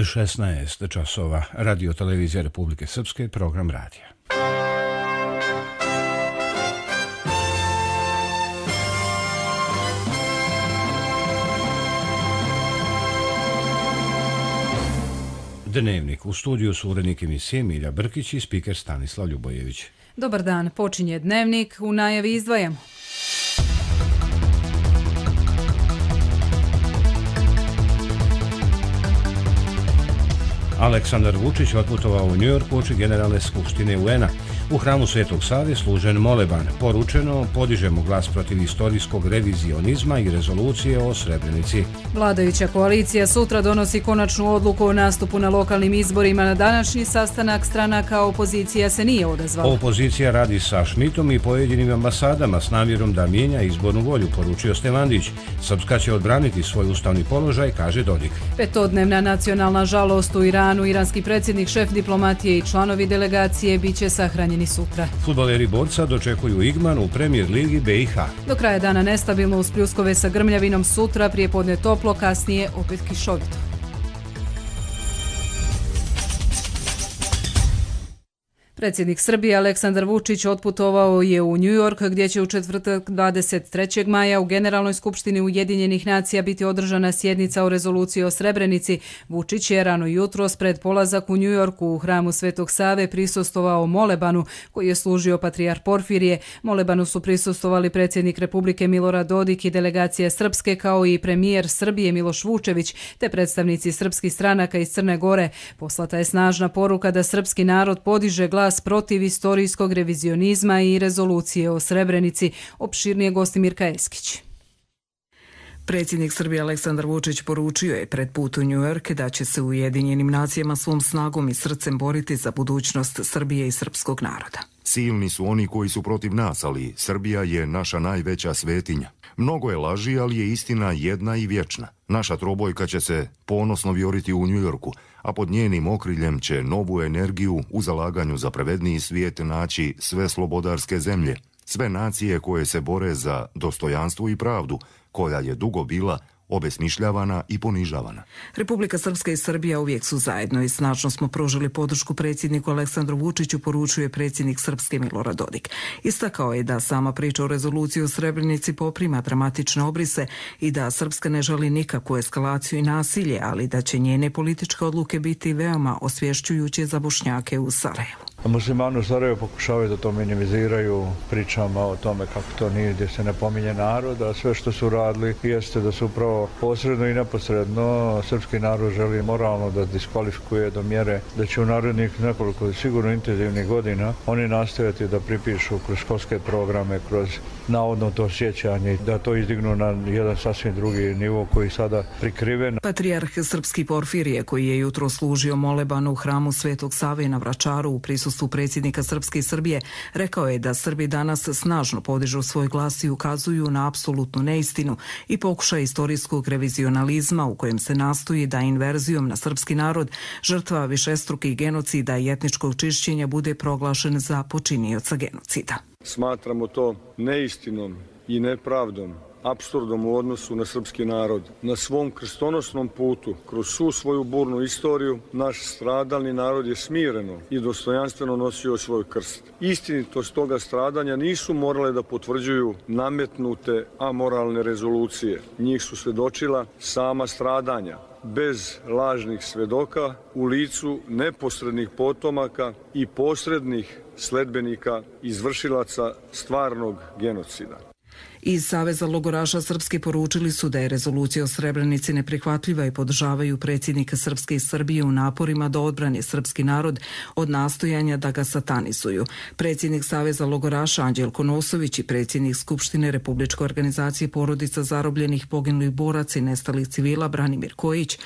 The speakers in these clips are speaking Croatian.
16 časova. Radio televizija Republike Srpske, program radija. Dnevnik. U studiju su urednik emisije Milja Brkić i spiker Stanislav Ljubojević. Dobar dan, počinje Dnevnik, u najavi izdvajamo. Aleksandar Vučić otputovao u New York uoči Generalne skupštine UN-a. U hramu Svetog Save služen moleban. Poručeno, podižemo glas protiv istorijskog revizionizma i rezolucije o Srebrenici. Vladajuća koalicija sutra donosi konačnu odluku o nastupu na lokalnim izborima. Na današnji sastanak stranaka opozicija se nije odazvala. Opozicija radi sa Šmitom i pojedinim ambasadama s namjerom da mijenja izbornu volju, poručio Stevandić. Srpska će odbraniti svoj ustavni položaj, kaže Dodik. Petodnevna nacionalna žalost u Iranu. Iranski predsjednik, šef diplomatije i članovi delegacije biće sahranjeni sutra. Fudbaleri Borca dočekuju Igman u Premier ligi BiH. Do kraja dana nestabilno uz pljuskove sa grmljavinom, sutra prijepodne toplo, kasnije opet kišovito. Predsjednik Srbije Aleksandar Vučić otputovao je u New York gdje će u četvrtak 23. maja u Generalnoj skupštini Ujedinjenih nacija biti održana sjednica o rezoluciji o Srebrenici. Vučić je rano jutros pred polazak u New Yorku u hramu Svetog Save prisustvovao molebanu koji je služio patrijarh Porfirije. Molebanu su prisustvovali predsjednik Republike Milorad Dodik i delegacija Srpske kao i premijer Srbije Miloš Vučević te predstavnici srpskih stranaka iz Crne Gore. Poslata je snažna poruka da srpski narod podiže glas protiv istorijskog revizionizma i rezolucije o Srebrenici, opširnije Gostimirka Eskić. Predsjednik Srbije Aleksandar Vučić poručio je pred put u New York da će se u Ujedinjenim nacijama svom snagom i srcem boriti za budućnost Srbije i srpskog naroda. Silni su oni koji su protiv nas, ali Srbija je naša najveća svetinja. Mnogo je laži, ali je istina jedna i vječna. Naša trobojka će se ponosno vjoriti u New Yorku, a pod njenim okriljem će novu energiju u zalaganju za pravedniji svijet naći sve slobodarske zemlje, sve nacije koje se bore za dostojanstvo i pravdu, koja je dugo bila obesmišljavana i ponižavana. Republika Srpska i Srbija uvijek su zajedno i snažno smo pružili podršku predsjedniku Aleksandru Vučiću, poručuje predsjednik Srpske Milorad Dodik. Istakao je da sama priča o rezoluciji u Srebrenici poprima dramatične obrise i da Srpska ne želi nikakvu eskalaciju i nasilje, ali da će njene političke odluke biti veoma osvješćujuće za Bošnjake u Sarajevu. Muslimani u Sarajevu pokušavaju da to minimiziraju pričama o tome kako to nije, gdje se ne pominje narod, a sve što su radili jeste da su upravo posredno i neposredno srpski narod želi moralno da diskvalifikuje do mjere da će u narednih nekoliko sigurno intenzivnih godina oni nastojati da pripišu kroz školske programe, kroz navodno to sjećanje, da to izdignu na jedan sasvim drugi nivo koji sada prikriven. Patrijarh srpski Porfirije, koji je jutro služio moleban u hramu Svetog Save na Vračaru u prisustvu predsjednika Srpske i Srbije, rekao je da Srbi danas snažno podižu svoj glas i ukazuju na apsolutnu neistinu i pokušaj istorijskog revizionalizma u kojem se nastoji da inverzijom na srpski narod žrtva višestrukih genocida i etničkog čišćenja bude proglašen za počinioca genocida. Smatramo to neistinom i nepravdom, apsurdom u odnosu na srpski narod. Na svom krstonosnom putu, kroz svu svoju burnu istoriju, naš stradalni narod je smireno i dostojanstveno nosio svoj krst. Istinitost toga stradanja nisu morale da potvrđuju nametnute amoralne rezolucije. Njih su svjedočila sama stradanja, bez lažnih svedoka, u licu neposrednih potomaka i posrednih sledbenika izvršilaca stvarnog genocida. Iz Saveza logoraša Srpske poručili su da je rezolucija o Srebrenici neprihvatljiva i podržavaju predsjednika Srpske i Srbije u naporima da odbrani srpski narod od nastojanja da ga satanizuju. Predsjednik Saveza logoraša Anđelko Nosović i predsjednik Skupštine Republičke organizacije porodica zarobljenih, poginulih boraca i nestalih civila Branimir Kojić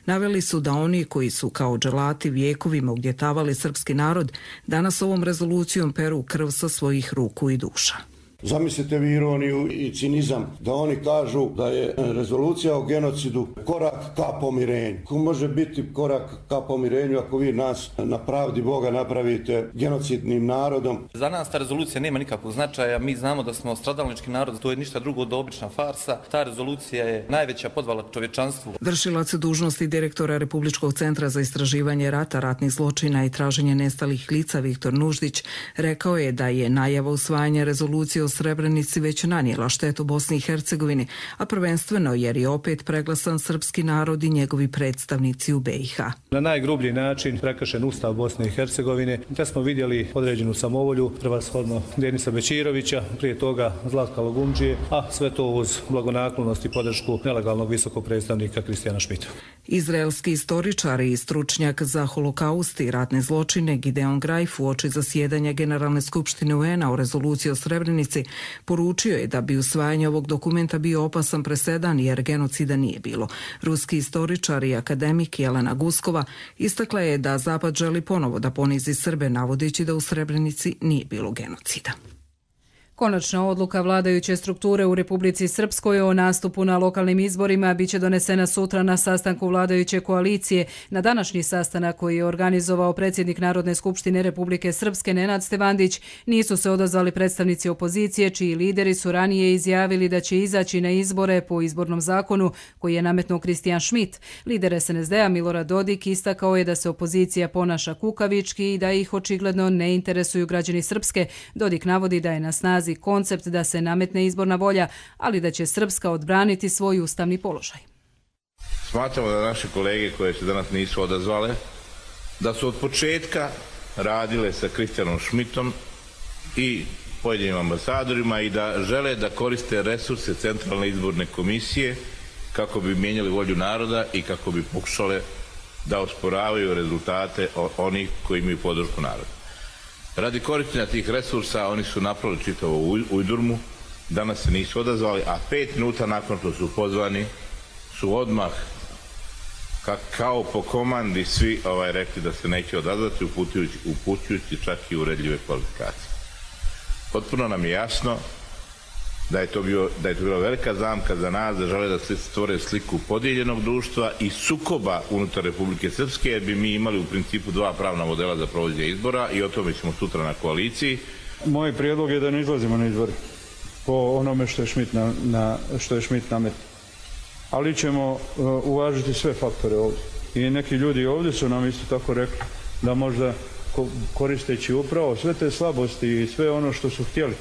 naveli su da oni koji su kao dželati vijekovima ugnjetavali srpski narod danas ovom rezolucijom peru krv sa svojih ruku i duša. Zamislite vi ironiju i cinizam da oni kažu da je rezolucija o genocidu korak ka pomirenju. Ko može biti korak ka pomirenju ako vi nas na pravdi Boga napravite genocidnim narodom? Za nas ta rezolucija nema nikakvog značaja, mi znamo da smo stradalnički narod, to je ništa drugo od obična farsa. Ta rezolucija je najveća podvala čovječanstvu. Vršilac dužnosti direktora Republičkog centra za istraživanje rata, ratnih zločina i traženje nestalih lica Viktor Nuždić rekao je da je najava usvajanja rezolucije o Srebrenici već nanijela štetu Bosni i Hercegovini, a prvenstveno jer je opet preglasan srpski narod i njegovi predstavnici u BiH. Na najgrublji način prekršen Ustav Bosne i Hercegovine, te smo vidjeli određenu samovolju, prevashodno Denisa Bećirovića, prije toga Zlatka Logumdžije, a sve to uz blagonaklonost i podršku nelegalnog visokog predstavnika Kristijana Šmita. Izraelski istoričar i stručnjak za holokaust i ratne zločine Gideon Greif uoči zasjedanja Generalne skupštine UN-a o rezoluciji o Srebrenici poručio je da bi usvajanje ovog dokumenta bio opasan presedan jer genocida nije bilo. Ruski istoričar i akademik Jelena Guskova istakla je da Zapad želi ponovo da ponizi Srbe navodeći da u Srebrenici nije bilo genocida. Konačna odluka vladajuće strukture u Republici Srpskoj o nastupu na lokalnim izborima biće donesena sutra na sastanku vladajuće koalicije. Na današnji sastanak koji je organizovao predsjednik Narodne skupštine Republike Srpske Nenad Stevandić nisu se odazvali predstavnici opozicije, čiji lideri su ranije izjavili da će izaći na izbore po izbornom zakonu koji je nametnuo Kristijan Šmit. Lider SNSD-a Milorad Dodik istakao je da se opozicija ponaša kukavički i da ih očigledno ne interesuju građani Srpske. Dodik navodi da je na snazi koncept da se nametne izborna volja, ali da će Srpska odbraniti svoj ustavni položaj. Smatramo da naše kolege koje se danas nisu odazvale, da su od početka radile sa Kristijanom Šmitom i pojedinim ambasadorima i da žele da koriste resurse Centralne izborne komisije kako bi mijenjali volju naroda i kako bi pokušale da osporavaju rezultate onih koji imaju podršku naroda. Radi korištenja tih resursa oni su napravili čitavu ujdurmu, danas se nisu odazvali, a 5 minuta nakon što su pozvani su odmah kao po komandi svi rekli da se neće odazvati, upućujući čak i uredljive kvalifikacije. Potpuno nam je jasno da je to bila velika zamka za nas, da žele da se stvore sliku podijeljenog društva i sukoba unutar Republike Srpske, jer bi mi imali u principu 2 pravna modela za provođenje izbora i o tome ćemo sutra na koaliciji. Moj prijedlog je da ne izlazimo na izbore po onome što je Šmit nametio. Ali ćemo uvažiti sve faktore ovdje. I neki ljudi ovdje su nam isto tako rekli da možda koristeći upravo sve te slabosti i sve ono što su htjeli,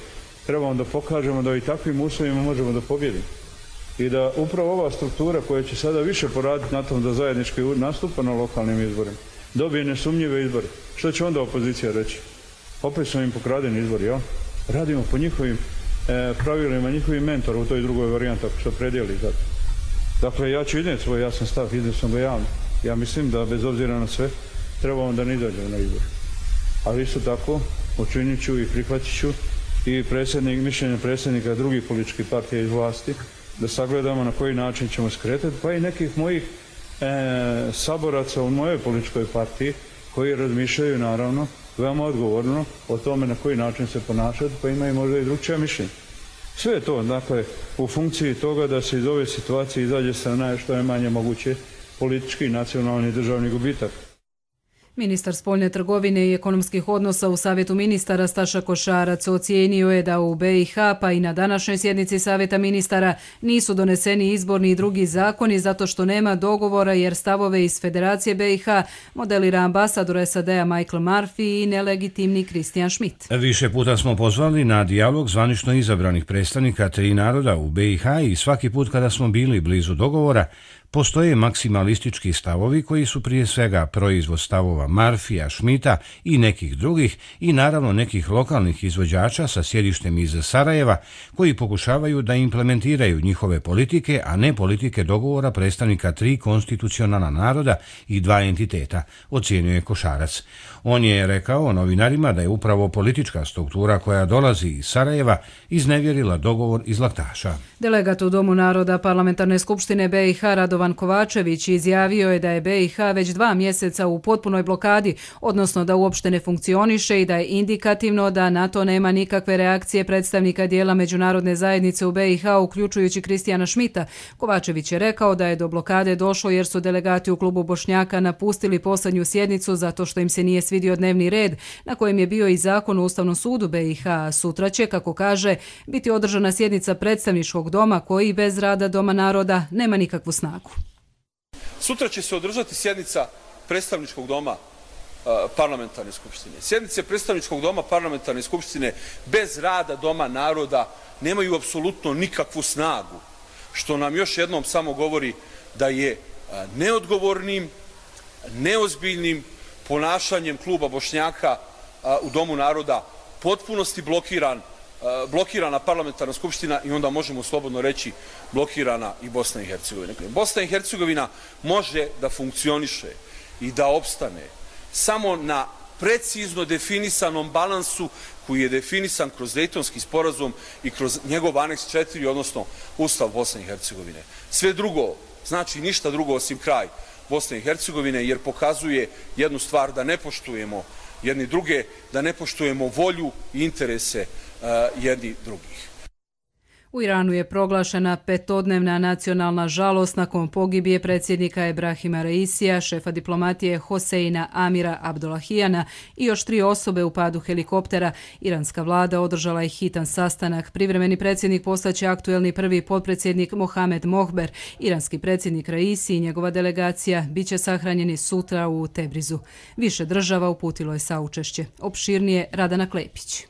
trebamo da pokažemo da i takvim uslovima možemo da pobjedimo. I da upravo ova struktura koja će sada više poraditi na tom da zajednički nastupa na lokalnim izborima, dobije nesumnjive izbore. Što će onda opozicija reći? Opet su im pokradeni izbori, ja? Radimo po njihovim pravilima, njihovim mentora u toj drugoj varijanti ako se opredijeli za to. Dakle, ja ću iznijeti svoj jasan stav, iznio sam ga javno. Ja mislim da bez obzira na sve trebamo da ne izađemo na izbor. Ali isto tako učinit ću i prihvatit ću i mišljenje predsjednika drugih političkih partija iz vlasti, da sagledamo na koji način ćemo skretati, pa i nekih mojih saboraca u mojoj političkoj partiji koji razmišljaju naravno veoma odgovorno o tome na koji način se ponašati, pa imaju možda i drugčija mišljenja. Sve je to, dakle, u funkciji toga da se iz ove situacije izađe sa što je manje moguće politički, nacionalni i državni gubitak. Ministar spoljne trgovine i ekonomskih odnosa u Savjetu ministara Staša Košarac ocijenio je da u BiH pa i na današnjoj sjednici Savjeta ministara nisu doneseni izborni i drugi zakoni zato što nema dogovora jer stavove iz Federacije BiH modelira ambasador SAD-a Michael Murphy i nelegitimni Kristijan Šmit. Više puta smo pozvali na dijalog zvanično izabranih predstavnika 3 naroda u BiH i svaki put kada smo bili blizu dogovora postoje maksimalistički stavovi koji su prije svega proizvod stavova Murphyja, Šmita i nekih drugih i naravno nekih lokalnih izvođača sa sjedištem iz Sarajeva koji pokušavaju da implementiraju njihove politike, a ne politike dogovora predstavnika 3 konstitucionalna naroda i 2 entiteta, ocijenio je Košarac. On je rekao novinarima da je upravo politička struktura koja dolazi iz Sarajeva iznevjerila dogovor iz Laktaša. Delegat u Domu naroda Parlamentarne skupštine BiH Radovan Radovan Kovačević izjavio je da je BiH već 2 mjeseca u potpunoj blokadi, odnosno da uopšte ne funkcioniše i da je indikativno da na to nema nikakve reakcije predstavnika dijela međunarodne zajednice u BiH, uključujući Kristijana Šmita. Kovačević je rekao da je do blokade došlo jer su delegati u klubu Bošnjaka napustili posljednju sjednicu zato što im se nije svidio dnevni red na kojem je bio i zakon o Ustavnom sudu BiH. Sutra će, kako kaže, biti održana sjednica predstavničkog doma koji bez rada Doma naroda nema nikakvu snagu. Sutra će se održati sjednica predstavničkog doma parlamentarne skupštine. Sjednice predstavničkog doma parlamentarne skupštine bez rada Doma naroda nemaju apsolutno nikakvu snagu, što nam još jednom samo govori da je neodgovornim, neozbiljnim ponašanjem kluba Bošnjaka u Domu naroda potpunosti blokirana parlamentarna skupština i onda možemo slobodno reći blokirana i Bosna i Hercegovina. Bosna i Hercegovina može da funkcioniše i da opstane samo na precizno definisanom balansu koji je definisan kroz Dejtonski sporazum i kroz njegov aneks 4, odnosno Ustav Bosne i Hercegovine. Sve drugo znači ništa drugo osim kraj Bosne i Hercegovine, jer pokazuje jednu stvar, da ne poštujemo jedni druge, da ne poštujemo volju i interese jedni drugih. U Iranu je proglašena 5-dnevna nacionalna žalost nakon pogibije predsjednika Ebrahima Raisija, šefa diplomatije Hoseina Amira Abdullahijana i još 3 osobe u padu helikoptera. Iranska vlada održala je hitan sastanak. Privremeni predsjednik postaće aktuelni prvi potpredsjednik Mohamed Mohber. Iranski predsjednik Raisi i njegova delegacija bit će sahranjeni sutra u Tebrizu. Više država uputilo je saučešće. Opširnije Radana Klepić.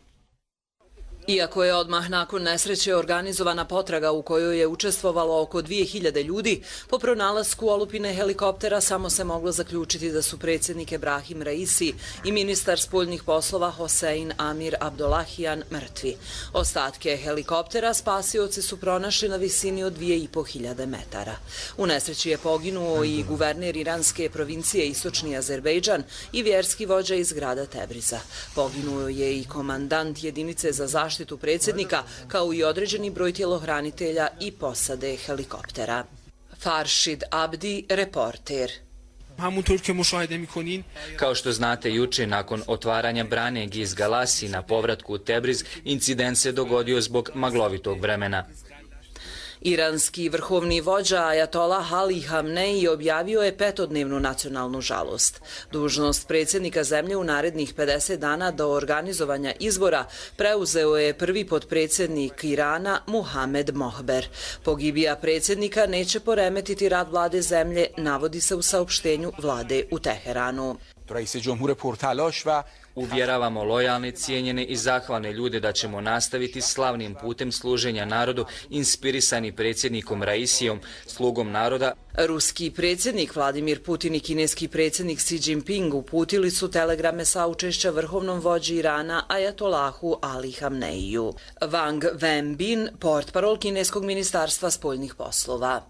Iako je odmah nakon nesreće organizovana potraga u kojoj je učestvovalo oko 2000 ljudi, po pronalasku olupine helikoptera samo se moglo zaključiti da su predsjednik Ebrahim Raisi i ministar spoljnih poslova Hosein Amir Abdullahijan mrtvi. Ostatke helikoptera spasioci su pronašli na visini od 2500 metara. U nesreći je poginuo i guverner iranske provincije Istočni Azerbejdžan i vjerski vođa iz grada Tebriza. Poginuo je i komandant jedinice za zaštitu predsjednika, kao i određeni broj tjelohranitelja i posade helikoptera. Farshid Abdi, reporter. Kao što znate, juče nakon otvaranja brane Giz Galasi na povratku u Tebriz, incident se dogodio zbog maglovitog vremena. Iranski vrhovni vođa Ajatolah Ali Hamneji objavio je 5-dnevnu nacionalnu žalost. Dužnost predsjednika zemlje u narednih 50 dana do organizovanja izbora preuzeo je prvi potpredsjednik Irana Mohamed Mohber. Pogibija predsjednika neće poremetiti rad vlade zemlje, navodi se u saopštenju vlade u Teheranu. Uvjeravamo lojalne, cijenjene i zahvalne ljude da ćemo nastaviti slavnim putem služenja narodu, inspirisani predsjednikom Raisijom, slugom naroda. Ruski predsjednik Vladimir Putin i kineski predsjednik Xi Jinping uputili su telegrame saučešća vrhovnom vođi Irana Ajatolahu Ali Hamneiju. Wang Wenbin, portparol kineskog ministarstva spoljnih poslova.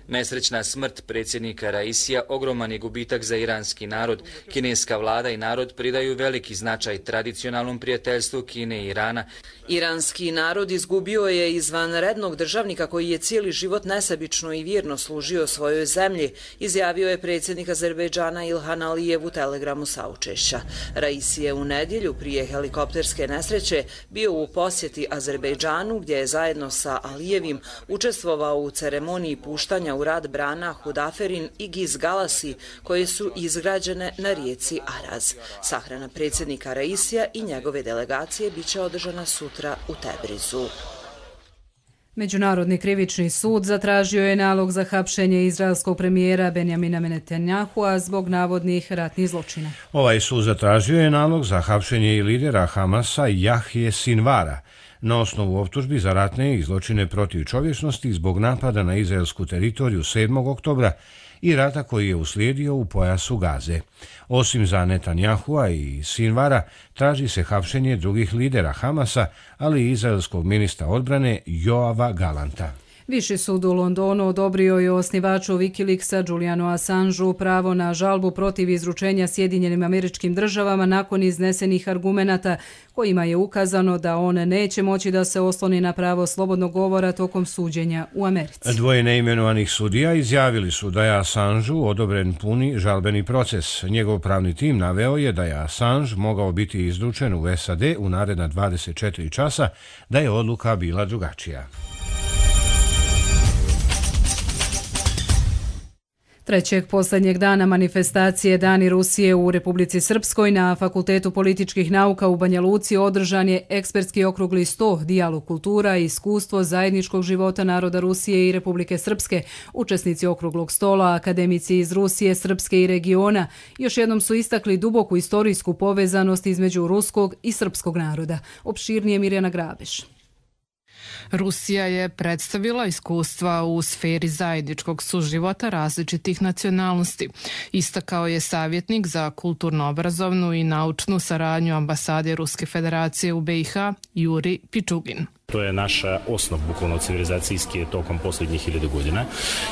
Nesrećna smrt predsjednika Raisija ogroman je gubitak za iranski narod. Kineska vlada i narod pridaju veliki značaj tradicionalnom prijateljstvu Kine i Irana. Iranski narod izgubio je izvanrednog državnika koji je cijeli život nesebično i vjerno služio svojoj zemlji, izjavio je predsjednik Azerbejdžana Ilhan Alijev u telegramu saučešća. Raisi je u nedjelju prije helikopterske nesreće bio u posjeti Azerbejdžanu, gdje je zajedno sa Alijevim učestvovao u ceremoniji puštanja u rad brana Hudaferin i Giz Galasi, koje su izgrađene na rijeci Araz. Sahrana predsjednika Raisija i njegove delegacije biće održana sutra u Tebrizu. Međunarodni krivični sud zatražio je nalog za hapšenje izraelskog premijera Benjamina Netanjahua zbog navodnih ratnih zločina. Ovaj sud zatražio je nalog za hapšenje i lidera Hamasa Jahje Sinvara na osnovu optužbi za ratne i zločine protiv čovječnosti zbog napada na izraelsku teritoriju 7. oktobra i rata koji je uslijedio u pojasu Gaze. Osim za Netanjahua i Sinvara, traži se hapšenje drugih lidera Hamasa, ali i izraelskog ministra odbrane Joava Galanta. Viši sud u Londonu odobrio je osnivaču Wikileaksa Julianu Assangeu pravo na žalbu protiv izručenja Sjedinjenim Američkim Državama nakon iznesenih argumenata kojima je ukazano da on neće moći da se osloni na pravo slobodnog govora tokom suđenja u Americi. Dvoje neimenovanih sudija izjavili su da je Assangeu odobren puni žalbeni proces. Njegov pravni tim naveo je da je Assange mogao biti izručen u SAD u naredna 24 časa, da je odluka bila drugačija. Trećeg posljednjeg dana manifestacije Dani Rusije u Republici Srpskoj na Fakultetu političkih nauka u Banja Luci održan je ekspertski okrugli sto, dijalog kultura i iskustvo zajedničkog života naroda Rusije i Republike Srpske. Učesnici okruglog stola, akademici iz Rusije, Srpske i regiona, još jednom su istakli duboku istorijsku povezanost između ruskog i srpskog naroda. Opširnije Mirjana Grabeš. Rusija je predstavila iskustva u sferi zajedničkog suživota različitih nacionalnosti. Istakao je savjetnik za kulturno-obrazovnu i naučnu saradnju ambasade Ruske federacije u BiH Juri Pičugin. To je naša osnov bukvalno civilizacijski tokom posljednjih 1000 godina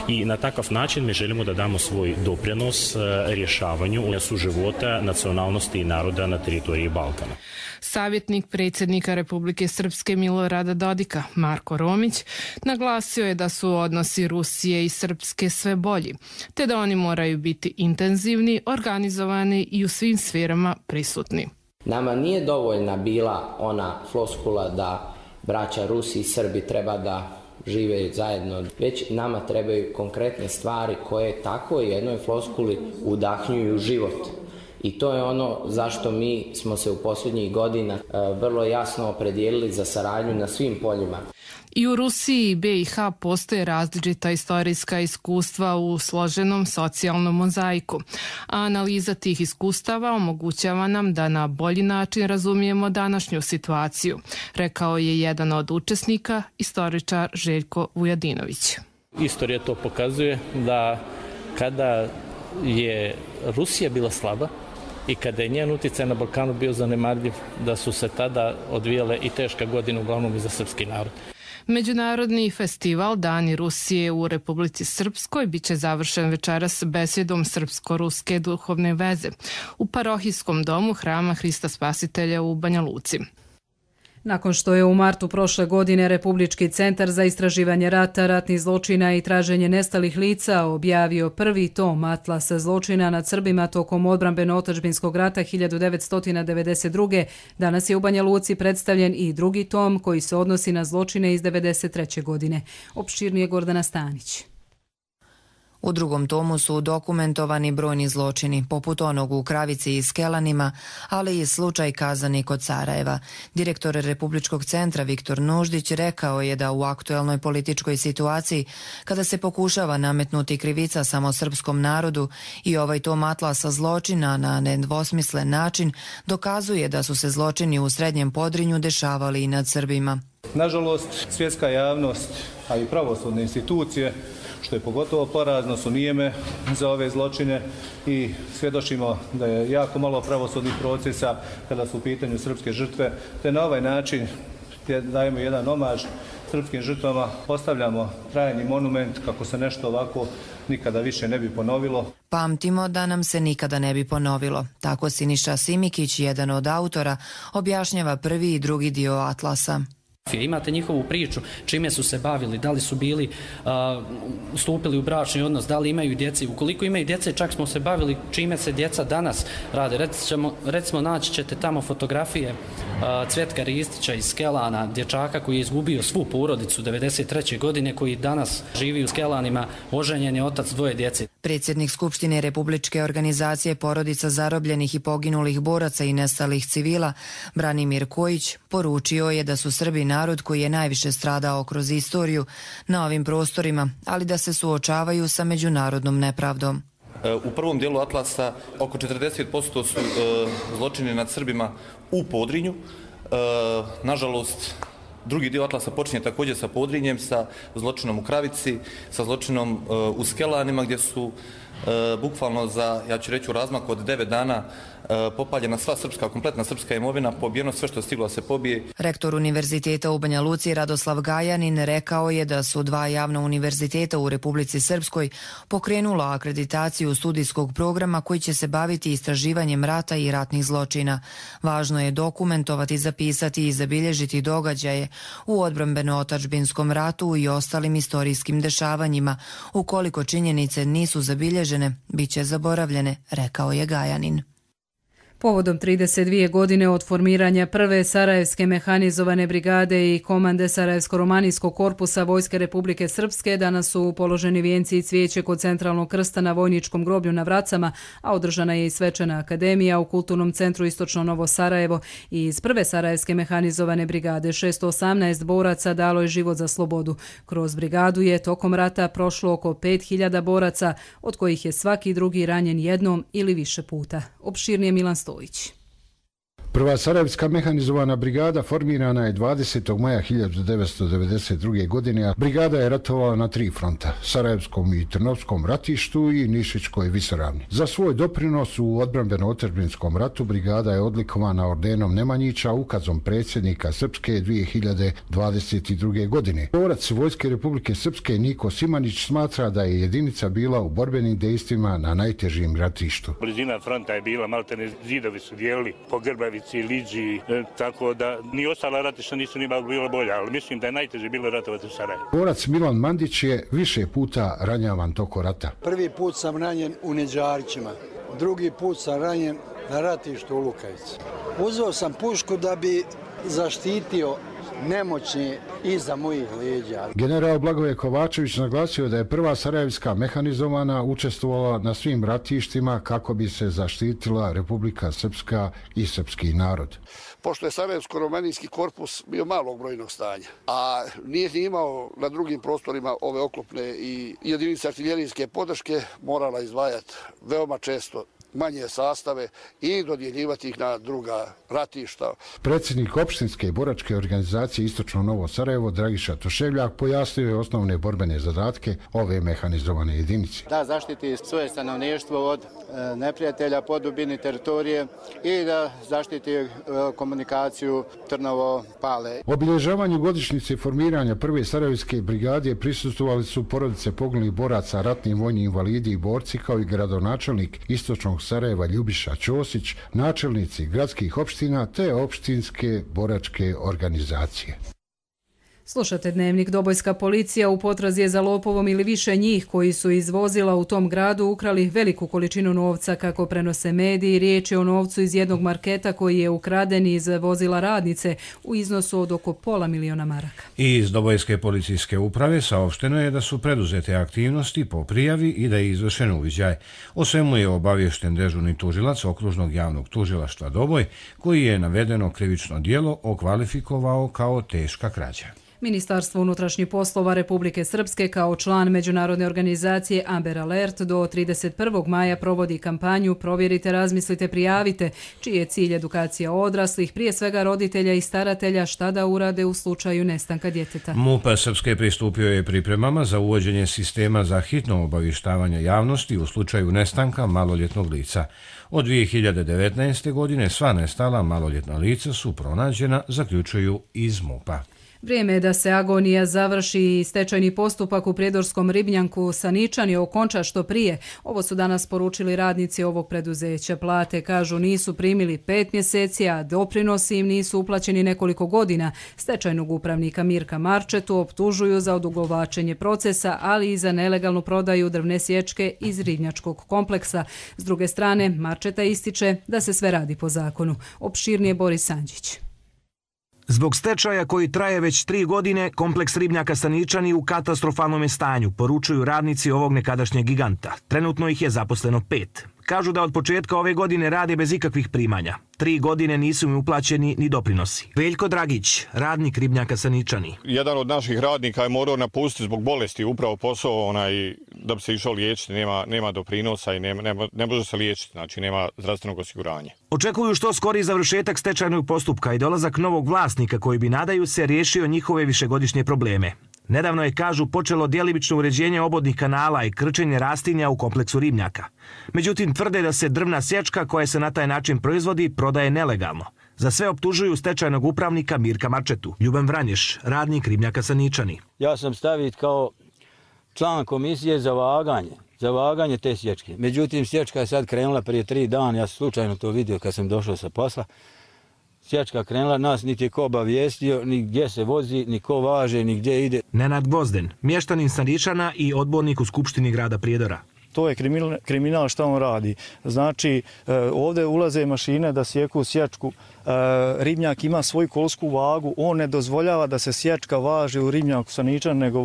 i na takav način mi želimo da damo svoj doprinos rješavanju suživota nacionalnosti i naroda na teritoriji Balkana. Savjetnik predsjednika Republike Srpske Milorada Dodika, Marko Romić, naglasio je da su odnosi Rusije i Srpske sve bolji, te da oni moraju biti intenzivni, organizovani i u svim sferama prisutni. Nama nije dovoljna bila ona floskula da braća Rusi i Srbi treba da žive zajedno, već nama trebaju konkretne stvari koje tako jednoj floskuli udahnjuju život. I to je ono zašto mi smo se u posljednjih godina vrlo jasno opredijelili za saradnju na svim poljima. I u Rusiji i BiH postoje različita istorijska iskustva u složenom socijalnom mozaiku, a analiza tih iskustava omogućava nam da na bolji način razumijemo današnju situaciju, rekao je jedan od učesnika, istoričar Željko Vujadinović. Istorija to pokazuje da kada je Rusija bila slaba i kada je njen utjecaj na Balkanu bio zanemarljiv, da su se tada odvijale i teška godina uglavnom i za srpski narod. Međunarodni festival Dani Rusije u Republici Srpskoj biće završen večeras besjedom srpsko-ruske duhovne veze u parohijskom domu Hrama Hrista Spasitelja u Banja Luci. Nakon što je u martu prošle godine Republički centar za istraživanje rata, ratnih zločina i traženje nestalih lica objavio prvi tom Atlasa zločina nad Srbima tokom odbrambeno-otadžbinskog rata 1992. Danas je u Banja Luci predstavljen i drugi tom koji se odnosi na zločine iz 1993. godine. Opširnije Gordana Stanić. U drugom tomu su dokumentovani brojni zločini, poput onog u Kravici i Skelanima, ali i slučaj Kazani kod Sarajeva. Direktor Republičkog centra Viktor Nuždić rekao je da u aktuelnoj političkoj situaciji, kada se pokušava nametnuti krivica samo srpskom narodu, i ovaj tom atlasa zločina na nedvosmislen način dokazuje da su se zločini u Srednjem Podrinju dešavali i nad Srbima. Nažalost, svjetska javnost, a i pravosudne institucije, što je pogotovo porazno, su nijeme za ove zločine i svjedočimo da je jako malo pravosudnih procesa kada su u pitanju srpske žrtve, te na ovaj način dajemo jedan omaž srpskim žrtvama, postavljamo trajni monument kako se nešto ovako nikada više ne bi ponovilo. Pamtimo da nam se nikada ne bi ponovilo. Tako Siniša Simikić, jedan od autora, objašnjava prvi i drugi dio Atlasa. Imate njihovu priču, čime su se bavili, da li su bili stupili u bračni odnos, da li imaju djece. Ukoliko imaju djece, čak smo se bavili čime se djeca danas rade. Recimo naći ćete tamo fotografije Cvetka Ristića iz Skelana, dječaka koji je izgubio svu porodicu 1993. godine, koji danas živi u Skelanima, oženjen je, otac dvoje djece. Predsjednik Skupštine Republičke organizacije porodica zarobljenih i poginulih boraca i nestalih civila, Branimir Kojić, poručio je da su Srbi narod koji je najviše stradao kroz istoriju na ovim prostorima, ali da se suočavaju sa međunarodnom nepravdom. U prvom dijelu Atlasa oko 40% su zločini nad Srbima u Podrinju. Nažalost, drugi dio Atlasa počinje također sa Podrinjem, sa zločinom u Kravici, sa zločinom u Skelanima gdje su bukvalno za, ja ću reći, u razmaku od 9 dana popaljena sva srpska, kompletna srpska imovina, pobijeno sve što je stiglo da se pobije. Rektor Univerziteta u Banja Luci Radoslav Gajanin rekao je da su 2 javna univerziteta u Republici Srpskoj pokrenula akreditaciju studijskog programa koji će se baviti istraživanjem rata i ratnih zločina. Važno je dokumentovati, zapisati i zabilježiti događaje u odbrambeno-otadžbinskom ratu i ostalim istorijskim dešavanjima. Ukoliko činjenice nisu zabilježene, bit će zaboravljene, rekao je Gajanin. Povodom 32 godine od formiranja prve Sarajevske mehanizovane brigade i komande Sarajevsko-romanijskog korpusa Vojske Republike Srpske danas su položeni vijenci i cvijeće kod centralnog krsta na vojničkom groblju na Vracama, a održana je i svečana akademija u Kulturnom centru Istočno Novo Sarajevo. I iz prve Sarajevske mehanizovane brigade 618 boraca dalo je život za slobodu. Kroz brigadu je tokom rata prošlo oko 5000 boraca, od kojih je svaki drugi ranjen jednom ili više puta. Opširnije Milan Stojić. Prva Sarajevska mehanizovana brigada formirana je 20. maja 1992. godine, a brigada je ratovala na 3 fronta, Sarajevskom i Trnovskom ratištu i Nišićkoj visoravni. Za svoj doprinos u odbrambeno-otadžbinskom ratu brigada je odlikovana ordenom Nemanjića ukazom predsjednika Srpske 2022. godine. Borac Vojske Republike Srpske Niko Simanić smatra da je jedinica bila u borbenim dejstvima na najtežim ratištu. Blizina fronta je bila, maltene zidovi su dijelili po Grbavici, Liđi, tako da ni ostala ratišta nisu ni bilo bolja, ali mislim da je najteže bilo ratovati u Sarajevu. Borac Milan Mandić je više puta ranjavan toko rata. Prvi put sam ranjen u Neđarićima, drugi put sam ranjen na ratištu u Lukavici. Uzeo sam pušku da bi zaštitio nemoćni iza mojih leđa. General Blagoje Kovačević naglasio da je prva Sarajevska mehanizovana učestvovala na svim ratištima kako bi se zaštitila Republika Srpska i srpski narod. Pošto je Sarajevsko-romanijski korpus bio malog brojnog stanja, a nije imao na drugim prostorima ove oklopne i jedinice artiljerijske podrške, morala izdvajati veoma često manje sastave i dodjeljivati ih na druga ratišta. Predsjednik opštinske boračke organizacije Istočno Novo Sarajevo Dragiša Toševljak pojasnio je osnovne borbene zadatke ove mehanizovane jedinice. Da zaštiti svoje stanovništvo od neprijatelja po dubini teritorije i da zaštiti komunikaciju Trnovo-Pale. Obilježavanju godišnjice formiranja prve Sarajevske brigade prisustvovali su porodice poginulih boraca, ratni vojni invalidi i borci, kao i gradonačelnik Istočnog Sarajeva Ljubiša Ćosić, načelnici gradskih opština te opštinske boračke organizacije. Slušate Dnevnik. Dobojska policija u potrazi je za lopovom ili više njih koji su iz vozila u tom gradu ukrali veliku količinu novca, kako prenose mediji. Riječ je o novcu iz jednog marketa koji je ukraden iz vozila radnice u iznosu od oko $500.000 maraka. I iz Dobojske policijske uprave saopšteno je da su preduzete aktivnosti po prijavi i da je izvršen uviđaj. O svemu je obaviješten dežurni tužilac Okružnog javnog tužilaštva Doboj, koji je navedeno krivično djelo okvalifikovao kao teška krađa. Ministarstvo unutrašnjih poslova Republike Srpske kao član međunarodne organizacije Amber Alert do 31. maja provodi kampanju Provjerite, razmislite, prijavite, čiji je cilj edukacija odraslih, prije svega roditelja i staratelja, šta da urade u slučaju nestanka djeteta. MUP Srpske pristupio je pripremama za uvođenje sistema za hitno obavještavanje javnosti u slučaju nestanka maloljetnog lica. Od 2019. godine sva nestala maloljetna lica su pronađena, zaključuju iz MUP-a. Vrijeme je da se agonija završi i stečajni postupak u prijedorskom ribnjaku Saničani okonča što prije. Ovo su danas poručili radnici ovog preduzeća. Plate, kažu, nisu primili 5 mjeseci, a doprinosi im nisu uplaćeni nekoliko godina. Stečajnog upravnika Mirka Marčetu optužuju za odugovlačenje procesa, ali i za nelegalnu prodaju drvne sječke iz ribnjačkog kompleksa. S druge strane, Marčeta ističe da se sve radi po zakonu. Opširnije Boris Sanđić. Zbog stečaja koji traje već 3 godine, kompleks ribnjaka Staničani u katastrofalnom je stanju, poručuju radnici ovog nekadašnjeg giganta. Trenutno ih je zaposleno 5. Kažu da od početka ove godine rade bez ikakvih primanja. 3 godine nisu im uplaćeni ni doprinosi. Veljko Dragić, radnik ribnjaka Saničani. Jedan od naših radnika je morao napustiti zbog bolesti upravo posao da bi se išao liječiti. Nema doprinosa i ne može se liječiti, znači nema zdravstvenog osiguranja. Očekuju što skori završetak stečajnog postupka i dolazak novog vlasnika koji bi, nadaju se, riješio njihove višegodišnje probleme. Nedavno je, kažu, počelo djelimično uređenje obodnih kanala i krčenje rastinja u kompleksu ribnjaka. Međutim, tvrde da se drvna sječka koja se na taj način proizvodi prodaje nelegalno. Za sve optužuju stečajnog upravnika Mirka Marčetu. Ljuban Vranješ, radnik ribnjaka Saničani. Ja sam stavit kao član komisije za vaganje te sječke. Međutim, sječka je sad krenula prije 3 dana, ja sam slučajno to vidio kad sam došao sa posla. Sječka krenula, nas niti je ko obavijestio, ni gdje se vozi, ni ko važe, ni gdje ide. Nenad Gvozden, mještanin Saničana i odbornik u Skupštini grada Prijedora. To je kriminal što on radi. Znači, ovdje ulaze mašine da sjeku sječku. Ribnjak ima svoju kolsku vagu. On ne dozvoljava da se sječka važi u ribnjaku Saničan, nego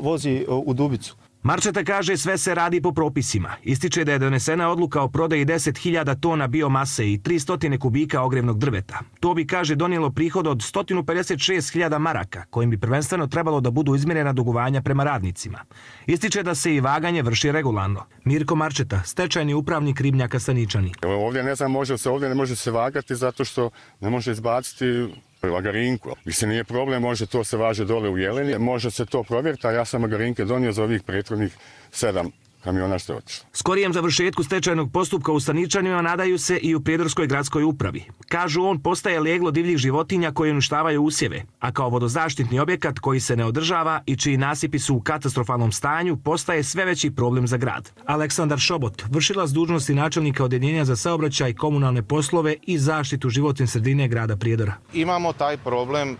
vozi u Dubicu. Marčeta kaže sve se radi po propisima. Ističe da je donesena odluka o prodaji 10.000 tona biomase i 300 kubika ogrevnog drveta. To bi, kaže, donijelo prihod od 156.000 maraka, kojim bi prvenstveno trebalo da budu izmjerena dugovanja prema radnicima. Ističe da se i vaganje vrši regularno. Mirko Marčeta, stečajni upravnik ribnjaka Saničani. Ovdje ne znam, ovdje ne može se vagati zato što ne može izbaciti lagarinku. Mislim, nije problem, može to se važe dole u Jeleni, može se to provjeriti, a ja sam lagarinke donio za ovih prethodnih 7 kamiona što je otišlo. Skorijem završetku stečajnog postupka u Saničanima nadaju se i u Prijedorskoj gradskoj upravi. Kažu, on postaje leglo divljih životinja koje uništavaju usjeve, a kao vodozaštitni objekat koji se ne održava i čiji nasipi su u katastrofalnom stanju postaje sve veći problem za grad. Aleksandar Šobot, vršilac dužnosti načelnika Odeljenja za saobraćaj, komunalne poslove i zaštitu životne sredine grada Prijedora. Imamo taj problem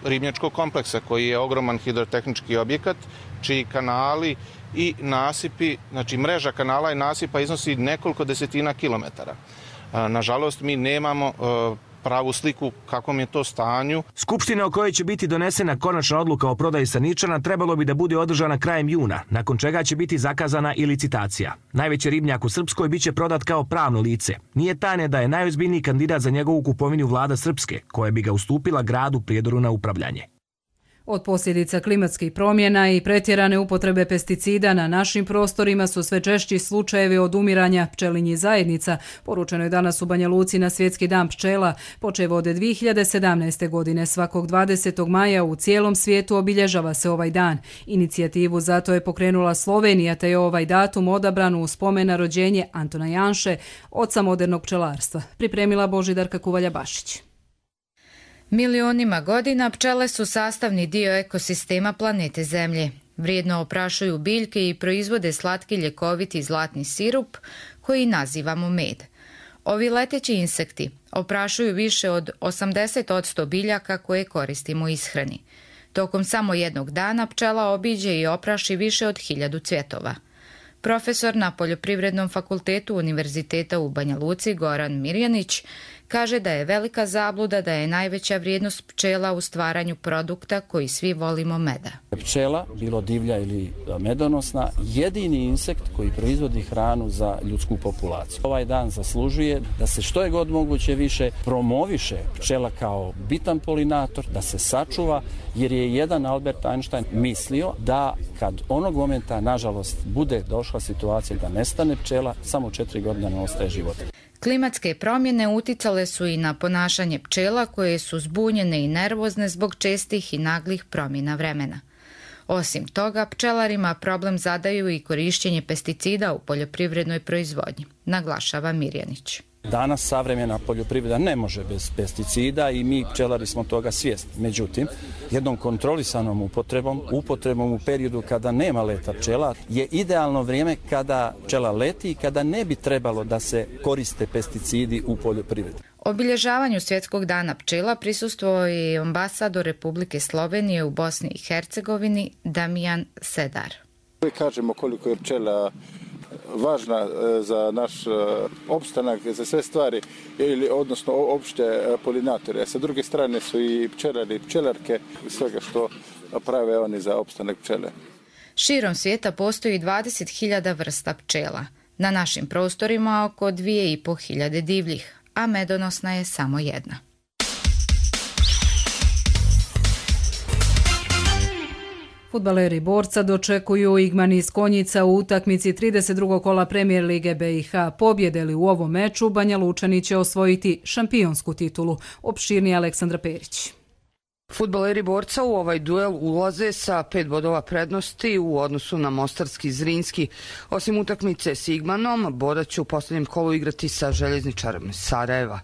ribnjačkog kompleksa koji je ogroman hidrotehnički objekat, čiji kanali i nasipi, znači mreža kanala i nasipa iznosi nekoliko desetina kilometara. Nažalost, mi nemamo pravu sliku kakvom je to stanju. Skupština o kojoj će biti donesena konačna odluka o prodaji Saničana trebalo bi da bude održana krajem juna, nakon čega će biti zakazana i licitacija. Najveći ribnjak u Srpskoj biće prodat kao pravno lice. Nije tajne da je najozbiljniji kandidat za njegovu kupovinu vlada Srpske, koja bi ga ustupila gradu Prijedoru na upravljanje. Od posljedica klimatskih promjena i pretjerane upotrebe pesticida na našim prostorima su sve češći slučajevi odumiranja pčelinjih zajednica. Poručeno je danas u Banja Luci na Svjetski dan pčela. Počev od 2017. godine svakog 20. maja u cijelom svijetu obilježava se ovaj dan. Inicijativu zato je pokrenula Slovenija, te je ovaj datum odabran u spomen na rođenje Antona Janše, oca modernog pčelarstva. Pripremila Božidarka Kuvalja-Bašić. Milionima godina pčele su sastavni dio ekosistema planete Zemlje. Vrijedno oprašuju biljke i proizvode slatki ljekoviti zlatni sirup koji nazivamo med. Ovi leteći insekti oprašuju više od 80% biljaka koje koristimo u ishrani. Tokom samo jednog dana pčela obiđe i opraši više od 1000 cvjetova. Profesor na Poljoprivrednom fakultetu Univerziteta u Banja Luci Goran Mirjanić kaže da je velika zabluda da je najveća vrijednost pčela u stvaranju produkta koji svi volimo, meda. Pčela, bilo divlja ili medonosna, jedini insekt koji proizvodi hranu za ljudsku populaciju. Ovaj dan zaslužuje da se što je god moguće više promoviše pčela kao bitan polinator, da se sačuva, jer je jedan Albert Einstein mislio da kad onog momenta, nažalost, bude došla situacija da nestane pčela, samo 4 godine ne ostaje života. Klimatske promjene uticale su i na ponašanje pčela koje su zbunjene i nervozne zbog čestih i naglih promjena vremena. Osim toga, pčelarima problem zadaju i korištenje pesticida u poljoprivrednoj proizvodnji, naglašava Mirjanić. Danas savremena poljoprivreda ne može bez pesticida i mi pčelari smo toga svjesni. Međutim, jednom kontrolisanom upotrebom u periodu kada nema leta pčela je idealno vrijeme kada pčela leti i kada ne bi trebalo da se koriste pesticidi u poljoprivredi. Obilježavanju Svjetskog dana pčela prisustvovao je i ambasador Republike Slovenije u Bosni i Hercegovini Damijan Sedar. Kažemo koliko je pčela važna za naš opstanak, za sve stvari, odnosno opšte polinatore. Sa druge strane su i pčelari i pčelarke, svega što prave oni za opstanak pčele. Širom svijeta postoji 20.000 vrsta pčela. Na našim prostorima oko 2.500 divljih, a medonosna je samo jedna. Fudbaleri Borca dočekuju Igman iz Konjica u utakmici 32. kola Premier Lige BiH. Pobjede li u ovom meču, Banja Lučani će osvojiti šampionsku titulu. Opširnije Aleksandra Perić. Fudbaleri Borca u ovaj duel ulaze sa 5 bodova prednosti u odnosu na mostarski Zrinski. Osim utakmice s Igmanom, Borac će u posljednjem kolu igrati sa Željezničarom Sarajeva.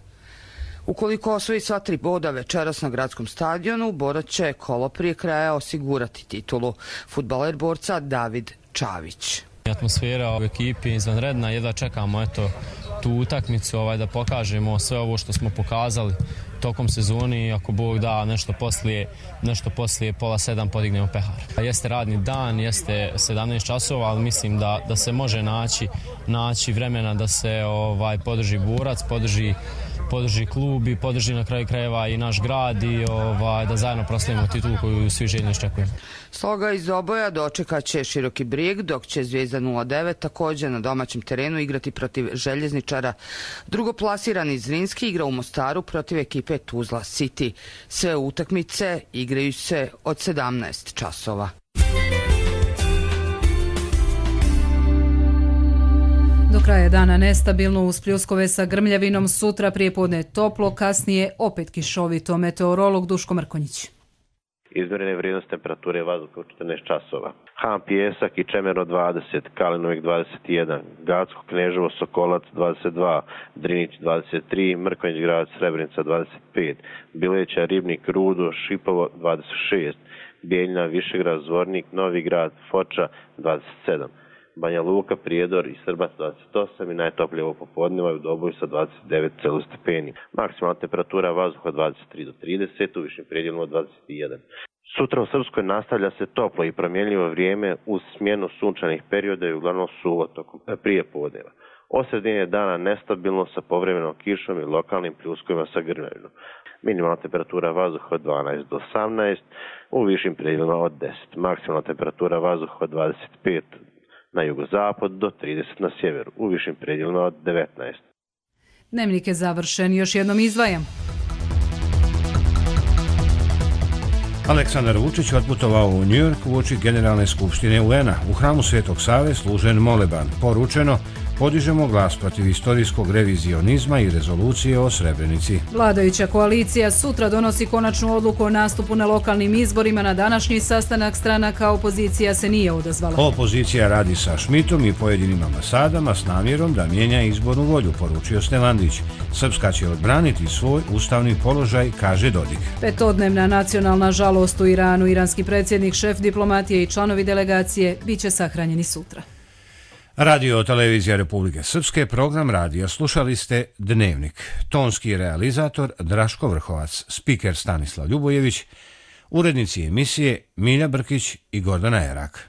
Ukoliko osvoji sva 3 boda večeras na gradskom stadionu, Borac će kolo prije kraja osigurati titulu. Fudbaler Borca David Čavić. Atmosfera u ekipi izvanredna, jedva čekamo tu utakmicu da pokažemo sve ovo što smo pokazali tokom sezoni i ako Bog da nešto poslije 6:30 podignemo pehar. Jeste radni dan, jeste 17 časova, ali mislim da se može naći vremena da se podrži Borac, podrži klub i podrži na kraju krajeva i naš grad i da zajedno proslavimo titulu koju svi željno iščekujemo. Sloga iz oboja dočekat će Široki Brijeg, dok će Zvijezda 09 također na domaćem terenu igrati protiv Željezničara. Drugoplasirani Zrinski igra u Mostaru protiv ekipe Tuzla City. Sve utakmice igraju se od 17 časova. Do kraja dana nestabilno uz pljuskove sa grmljavinom, sutra prijepodne toplo, kasnije opet kišovito. Meteorolog Duško Mrkonjić. Izmjerene vrijednost temperature vazduha u 14 časova. Han Pijesak i Čemerno 20, Kalinovik 21, Gacko Kneževo Sokolac 22, Drinić 23, Mrkonjić grad Srebrenica 25, Bileća Ribnik Rudo Šipovo 26, Bijeljina Višegrad Zvornik Novi grad Foča 27, Banja Luka, Prijedor i Srbac 28 i najtoplije ovo popodneva u Doboju sa 29 stepeni. Maksimalna temperatura vazduha 23 do 30, u višim predjelima 21. Sutra u Srpskoj nastavlja se toplo i promjenljivo vrijeme uz smjenu sunčanih perioda i uglavnom suvo tokom prije podneva. Od sredine dana nestabilno sa povremenom kišom i lokalnim pljuskovima sa grmljavinom. Minimalna temperatura vazduha od 12 do 18, u višim predjelima od 10. Maksimalna temperatura vazduha od 25 na jugozapad do 30 na sjeveru, u višim predjelima od 19. Dnevnik je završen, još jednom izdvajam. Aleksandar Vučić otputovao u New York uoči Generalne skupštine UN-a. U hramu Svetog Save služen moleban. Poručeno, podižemo glas protiv istorijskog revizionizma i rezolucije o Srebrenici. Vladajuća koalicija sutra donosi konačnu odluku o nastupu na lokalnim izborima. Na današnji sastanak stranaka opozicija se nije odazvala. Opozicija radi sa Šmitom i pojedinim ambasadama s namjerom da mijenja izbornu volju, poručio Stevandić. Srpska će odbraniti svoj ustavni položaj, kaže Dodik. Petodnevna nacionalna žalost u Iranu. Iranski predsjednik, šef diplomatije i članovi delegacije biće sahranjeni sutra. Radio televizija Republike Srpske, program radija slušali ste Dnevnik. Tonski realizator Draško Vrhovac, spiker Stanislav Ljubojević, urednici emisije Milja Brkić i Gordana Erak.